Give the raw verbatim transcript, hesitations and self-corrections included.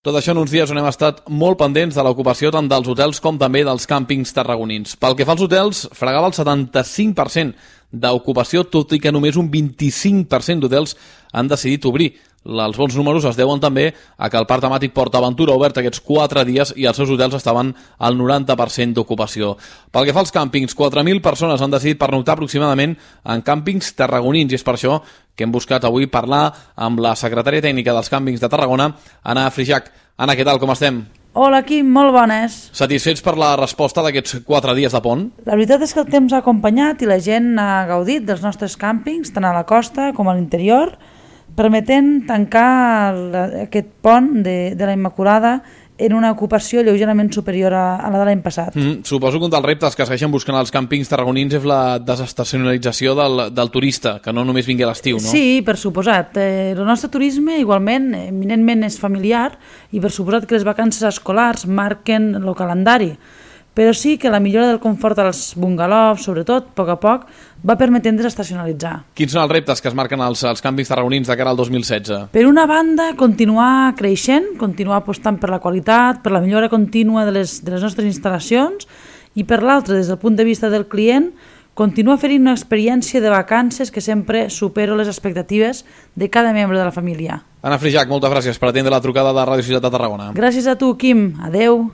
Tot això en uns dies on hem estat molt pendents de l'ocupació tant dels hotels com també dels càmpings tarragonins. Pel que fa als hotels, fregava el setanta-cinc per cent d'ocupació, tot i que només un vint-i-cinc per cent d'hotels han decidit obrir. Els bons números es deuen també a que el parc temàtic PortAventura ha obert aquests quatre dies i els seus hotels estaven al noranta per cent d'ocupació. Pel que fa als càmpings, quatre mil persones han decidit pernoctar aproximadament en càmpings tarragonins i és per això que hem buscat avui parlar amb la secretària tècnica dels càmpings de Tarragona, Anna Frijac. Anna, què tal, com estem? Hola, Quim, molt bones. Satisfets per la resposta d'aquests quatre dies de pont? La veritat és que el temps ha acompanyat i la gent ha gaudit dels nostres càmpings, tant a la costa com a l'interior, permetent tancar aquest pont de, de la Immaculada en una ocupació lleugerament superior a, a la de l'any passat. Mm, suposo que un dels reptes que segueixen buscant els càmpings tarragonins és la desestacionalització del, del turista, que no només vingui a l'estiu, no? Sí, per suposat. Eh, el nostre turisme igualment, eminentment és familiar i per suposat que les vacances escolars marquen el calendari. Però sí que la millora del confort als bungalows, sobretot, a poc a poc, va permetent desestacionalitzar. Quins són els reptes que es marquen als, als càmpings tarragonins de cara al dos mil setze? Per una banda, continuar creixent, continuar apostant per la qualitat, per la millora contínua de les, de les nostres instal·lacions i per l'altra, des del punt de vista del client, continua oferint una experiència de vacances que sempre supera les expectatives de cada membre de la família. Anna Frijac, moltes gràcies per atendre la trucada de Ràdio Ciutat de Tarragona. Gràcies a tu, Quim. Adeu.